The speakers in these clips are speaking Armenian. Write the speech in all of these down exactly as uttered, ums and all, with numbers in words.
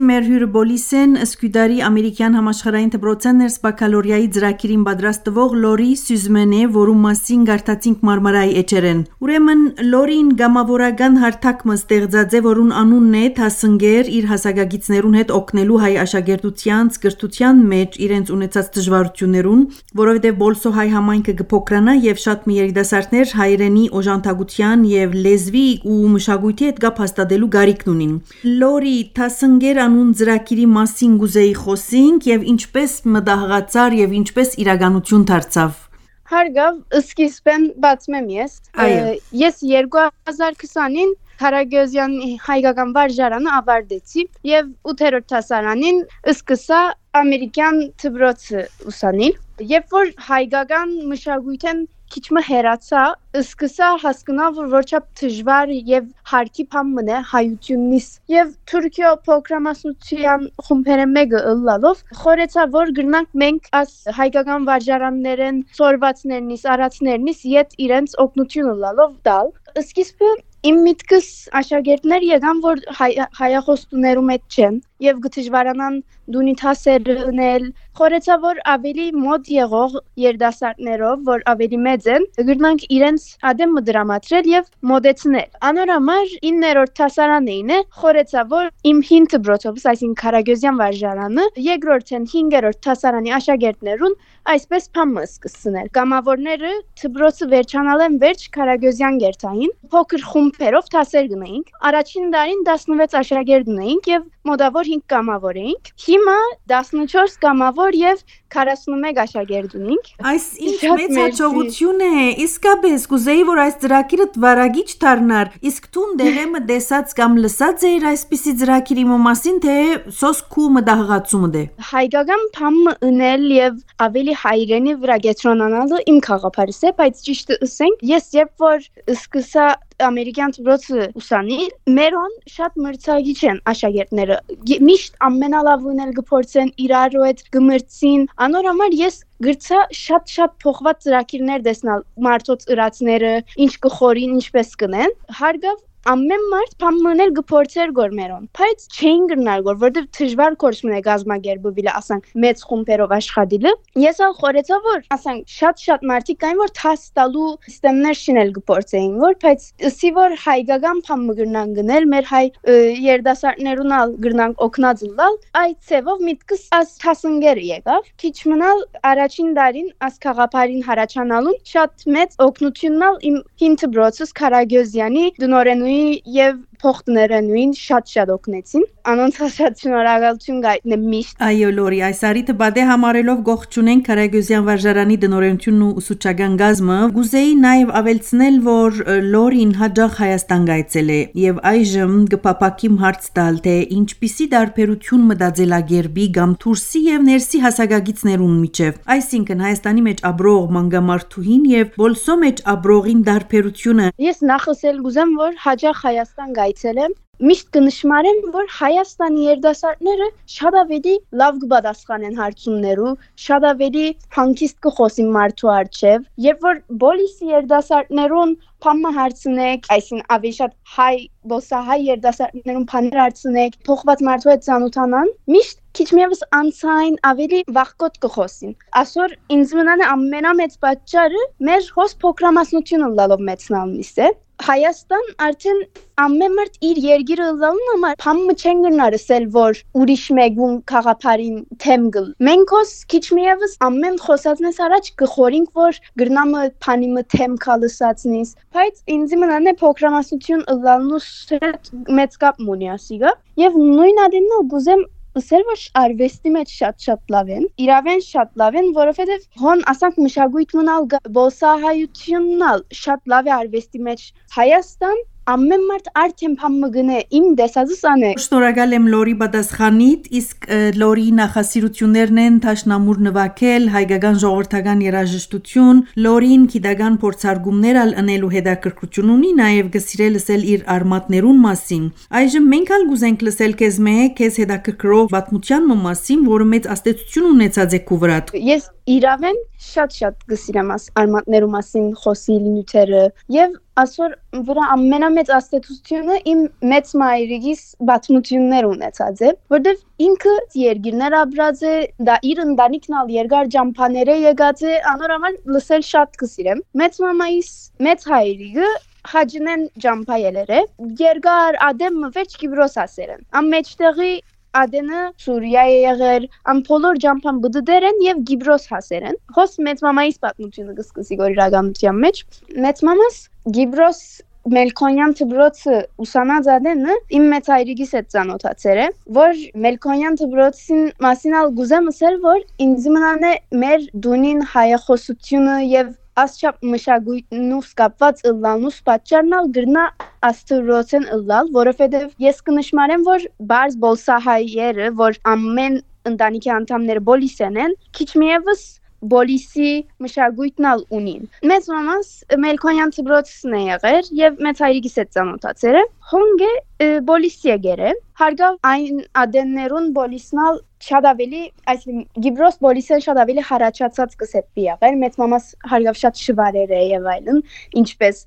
Մեր հյուրը Բոլիսեն Սկյուդարի ամերիկյան համաշխարհային դպրոցեն ներս բակալորիայի ծրագիրին պատրաստվող Լորի Սյուզմեն է, որում մասին գարտացինք մարմարայի էջերեն։ Ուրեմն Լորին գամավորական հարթակը ստեղծած է, որուն անունն է Թասնգեր իր հասակագիցներուն հետ օգնելու հայ աշակերտության, կրթության մեջ իրենց ունեցած դժվարություններուն, որովհետև Բոլսո հայ համայնքը կփոքրանա եւ շատ մի երիտասարդներ հայրենի օժանդակության եւ լեզվի ու մշակույթի հետ կապ հաստատելու գարիքն ունին։ Լորի Թասնգեր անուն ծրագիրի մասին գուզեի խոսենք եւ ինչպես մտահղացար եւ ինչպես իրականություն դարձավ։ Հարգավ, սկիզբեն բացում եմ ես։ Ես երկու հազար քսանին Կարագոզյանի հայկական վարժարանը ավարտեցի եւ ութերորդ դասարանին սկսա ամերիկյան դպրոցը ուսանել։ Երբ որ հայկական մշակույթեն քիչ մը հերացա, սկսա հասկանալ, որ որչափ դժվար եւ հարկի բան մնա հայությունից եւ Թուրքիա պրոգրամացիան խումբերը մեկը ըլլալով խորեցա, որ գնանք մենք աս հայկական վարժարաններեն, սորվածներնից, արածներնից իդ իրենց օգնություն ըլլալով տալ։ Սկիզբը իմ միտքս աշակերտներ եկան, որ հայախոստուներում հետ չեն եւ գտժվարանան դունիթասեր ունել, խորեցա, որ ավելի մոտ եղող երդասարտներով, որ ավելի մեծ են, գտնանք իրենց ադեմ դրամատրել եւ մոդեցնել։ Անորամար իններորդ դասարանին է, խորեցա, որ իմ հին դպրոցով, այսինքն Կարագոզյան վարժարանը, երկրորդն հինգերորդ դասարանի աշակերտներուն այսպես փամը սկսցնել։ Կամավորները դպրոցը վերջանալեն վերջ Կարագոզյան գերտային, փոքր խումբերով դասեր գնայինք։ Առաջին տարին տասնվեց աշակերտ ունեինք եւ մոտավոր հինգ կամավոր էինք։ Հիմա տասնչորս կամավոր եւ քառասունմեկ աշակերտ ունենք։ Այս ինչ մեծ հաջողություն է։ Իսկապես կուզեի, որ այս ծրագիրը վարագիչ դառնար։ Իսկ տուն դեղեմը դեսած կամ լսած էր այսպիսի ծրագիրի մասին, թե սոսկու մտահղացումը դե։ Հայկական բամը ունել եւ ավելի հայրենի վրա գետրոնանալը իմ խաղապարս է, բայց ճիշտ ասենք, ես երբ որ սկսա ամերիկյան դպրոցը ուսանի, մերոն շատ մրցակիչ են աշակերտները։ Միշտ ամենալավն գփորձեն իրար հետ գմրցին։ Անորամար ես գրծա շատ-շատ փոխված ծրագիրներ տեսնալ մարդոց ըրացները, ինչ կխորին, ինչպես կնեն։ Հարգավ ամեն մարդ փամնել գփորձեր գորմերոն, բայց չէին գնալ գոր, որտեվ դժվար կորսմն է գազագերբուվիլ, ասանք մեծ խումբերով աշխատիլը։ Ես ալ խորեցա, որ ասանք շատ-շատ մարդիկ կային, որ թաս տալու սիստեմներ շինել գփորձեին, որ բայց ըսի որ հայկական փամը գնան գնել, մեր հայ երդասարտներուն ալ գնանք օգնած լալ, այդ ցևով միտքս աս Թասնգերը եկավ, քիչ մնալ առաջին դարին աս խաղապարին հարաճանալուն շատ մեծ օգնություննալ իմ հին դպրոցս Կարագոզյանի դնորեն եւ փոխտները նույն շատ-շատ օգնեցին։ Անոնց շատ շնորհակալություն գայտնեմ միշտ։ Այո, Լորի, այս արիթը բադե համարելով գողջունենք Կարագոզյան վարժարանի դնորենությունն ու ուսուցչական գազմը, գուզեի նաև ավելցնել, որ Լորին հաջող Հայաստան գայցել է եւ այժմ կփապակիմ հարց տալ, թե ինչպիսի դարբերություն մտածելագերբի կամ դուրսի եւ ներսի հասակագիցներուն միջև, այսինքն Հայաստանի մեջ աբրող մանգամարդուհին եւ Բոլսո մեջ աբրողին դարբերությունը։ Ես նախսել գուզեմ, որ հաջող Հայաստան գայցել եմ։ Միշտ կնշմարեմ, որ Հայաստանի երդասարտները շատ ավելի լավ կպատասխանեն հարցումներու, շատ ավելի հանգիստ կխոսին մարդու առջև, երբ որ բոլիսի երդասարտներուն փամը հարցնեք, այսին ավելի շատ հայ բոսահայ երդասարտներուն փաներ հարցնեք, փոխված մարդու հետ ծանոթանան, միշտ քիչ միևս անցային ավելի վախկոտ կխոսին։ Այսօր ինձ մնան ամենամեծ պատճառը մեր հոս փոքրամասնությունը լալով մեծնալնից է։ Հայաստան արդեն ամեն մարդ իր երգիրը լալուն համար փամը չեն գնարսել, որ ուրիշ մեկուն խաղապարին թեմ գլ։ Մենք հոս քիչ միևս ամեն խոսածնես առաջ կխորինք, որ գրնամը փանիմը թեմ կալսածնից, բայց ինձ մնան է փոքրամասնություն լալնուս հետ մեծ կապ մունի ասիգա, եւ նույն ադենն գուզեմ Սեր որ արվեստի մեջ շատ-շատ լավ են, իրավեն շատ լավ են, որովհետև հոն ասանք մշակույթն ալ բոսահայությունն ալ շատ լավ է արվեստի մեջ Հայաստան ամեն մարդ արդեն փամը գնե իմ դեսածս անե։ Շնորհակալ եմ Լորի պատասխանիդ, իսկ Լորի նախասիրություններն են Թաշնամուր նվագել, հայկական ժողովրդական երաժշտություն, Լորին գիտական փորձարկումներ ալ անելու հետաքրքրություն ունի, նաև գսիրել լսել իր արմատներուն մասին։ Այժմ մենք ալ գուզենք լսել քեզ մեկ քեզ հետաքրքրող պատմության մասին, որը մեծ աստեցություն ունեցած է քու վրա։ Ես իրավեն շատ-շատ գսիրեմ արմատներու մասին խոսիլ նյութերը եւ ասոր վրա ամենամեծ աստեցությունը իմ մեծ մայրիկիս բացմություններ ունեցած է, որտեվ ինքը երգիրներ ապրած է, դա իր ընտանիքն ալ երկար ջամփաները եկած է, անորոմալ լսել շատ գսիրեմ։ Մեծ մամայիս մեծ հայրիկը Հաջնեն ջամփայելեր է, երկար ադեմ վեճ Կիպրոս ասերեն։ Ամ մեջտեղի Ադենը Սուրիա է եղեր, ամ բոլոր ջամփան բդդեր են եւ Գիբրոս հասեր են։ Հոս մեծ մամայիս պատմությունը կսկսի գոր իրականության մեջ։ Մեծ մամաս Գիբրոս Մելքոնյան դբրոցը ուսանած Ադենը իմ մեծ հայրիկիս հետ ծանոթացեր է, որ Մելքոնյան դբրոցին մասին ալ գուզեմ ասել, որ ինձ մնան է մեր դունին հայախոսությունը եւ ասչապ մշակույթնուս կապված ըլլանուս պատճառնալ գրնա աստուրոցեն ըլլալ, որովհետև ես կնշմարեմ, որ բարզ բոլսահայերը, որ ամեն ընտանիքի անդամները բոլիսեն են, քիչ միևս բոլիսի մշակույթն ալ ունին։ Մեծ մամաս Մելքոնյան դբրոցն է եղեր եւ մեծ հայրիկիս հետ ծանոթացել է։ Հոնգե բոլիսի եկեր է։ Հարգավ այն ադեններուն բոլիսնալ շատ ավելի, այսինքն Գիբրոս բոլիսեն շատ ավելի հարաճացած կսեպի եղեր։ Մեծ մամաս հարգավ շատ շվարեր է եւ այլն, ինչպես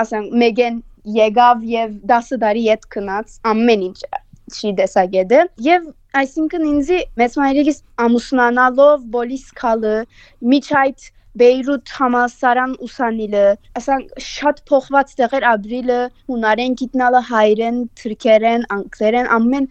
ասենք մեգեն եկավ եւ դասը դարի հետ քնած ամեն ինչ չի դեսագեդը եւ այսինքն ինձի մեծ մայրիկիս ամուսնանալով բոլիս քալը միջայդ Բեյրութ համալսարան ուսանիլը, ասենք շատ փոխված տեղեր ապրիլը, հունարեն գիտնալը, հայերեն, թուրքերեն, անգլերեն, ամեն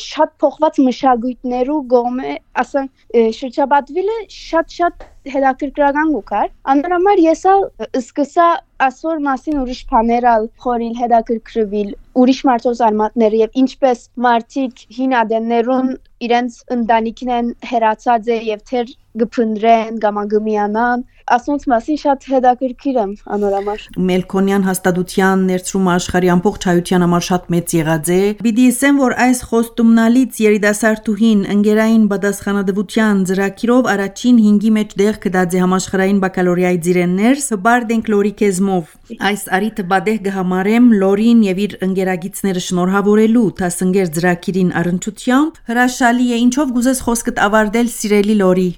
շատ փոխված մշակույթներու գոմե, ասենք շրջապատվիլը շատ-շատ հետաքրքրական գուքար։ Անորոմար ես ալ սկսա ասոր մասին ուրիշ բաներ ալ խորիլ հետաքրքրվել, ուրիշ մարդոց արմատները եւ ինչպես մարդիկ հին ադեններուն իրենց ընտանիքն են հերացած է եւ թեր գփնդրեն, գամագմիանան, ասոնց մասին շատ հետաքրքիր եմ անորոմար։ Մելքոնյան հաստատության ներծրումը աշխարհի ամբողջ հայության համար շատ մեծ եղած է։ Պիտի ասեմ, որ այս խոստումնալից երիտասարդուհին ընկերային պատասխանատվության ծրագիրով առաջին հինգի մեջ դեղ կդած է համաշխարհային բակալորիայի ծիրեններ, հբարդենք լորի քեզմով։ Այս արիթը բադեհ գհամարեմ լորին եւ իր ընկերագիցները շնորհավորելու տասնգեր ծրագիրին առընչությամբ հրաշալի է, ինչով գուզես խոսքդ ավարտել սիրելի լորի։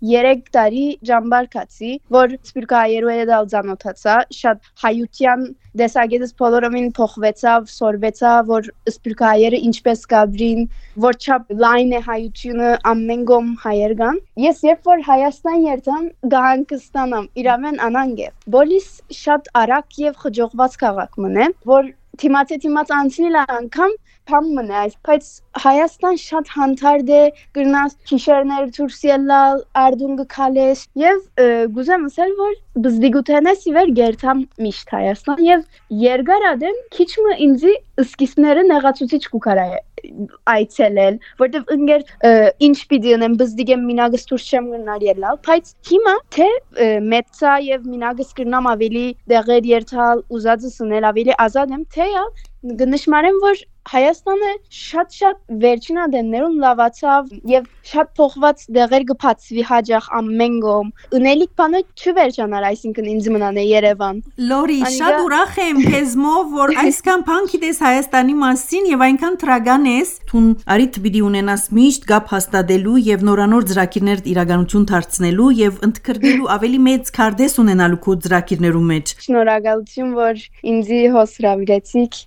Երեք տարի ջամբարկացի, որ սպիրկայերու հետ ալ ծանոթացա, շատ հայության դեսագետս բոլորովին փոխվեցավ, սորվեցավ, որ սպիրկայերը ինչպես կաբրին, որ չափ լայն է հայությունը ամեն գոմ հայեր կան։ Ես երբ որ Հայաստան երթամ, գահանկստանամ, իրավեն անանգ է։ Բոլիս շատ արագ եւ խջողված քաղաք մնե, որ թիմացե թիմաց անցնիլ անգամ Փամ մնա, բայց Հայաստան շատ հանդարտ է, գրնաս քիշերներ դուրսելալ, արդուն գքալես եւ գուզեմ ասել, որ բզդիգութենես իվեր գերտամ միշտ Հայաստան եւ երկար ադեմ քիչմը ինձի սկիզբները նեղացուցիչ կուքարա այցելել, որտեվ ընկեր ինչ պիտի ունեմ բզդիգեմ մինագս դուրս չեմ գնար ելալ, բայց հիմա թե մեծա եւ մինագս գրնամ ավելի դեղեր երթալ, ուզածս ունել ավելի ազատ եմ, թե գնշմարեմ, որ Հայաստանը շատ-շատ վերջին ադեններում լավացավ եւ շատ փոխված դեղեր գփացվի հաջող ամեն գոմ։ Ունելիք բանը չվերջանար, այսինքն ինձ մնան է Երևան։ Լորի, շատ ուրախ եմ քեզմով, որ այսքան բան գիտես Հայաստանի մասին եւ այնքան տրագան ես, թուն արիթ պիտի ունենաս միշտ գապ հաստատելու եւ նորանոր ծրագիրներ իրականություն դարձնելու եւ ընդգրկելու ավելի մեծ քարտեզ ունենալու քո ծրագիրներու մեջ։ Շնորհակալություն, որ ինձի հոսրավիրեցիք։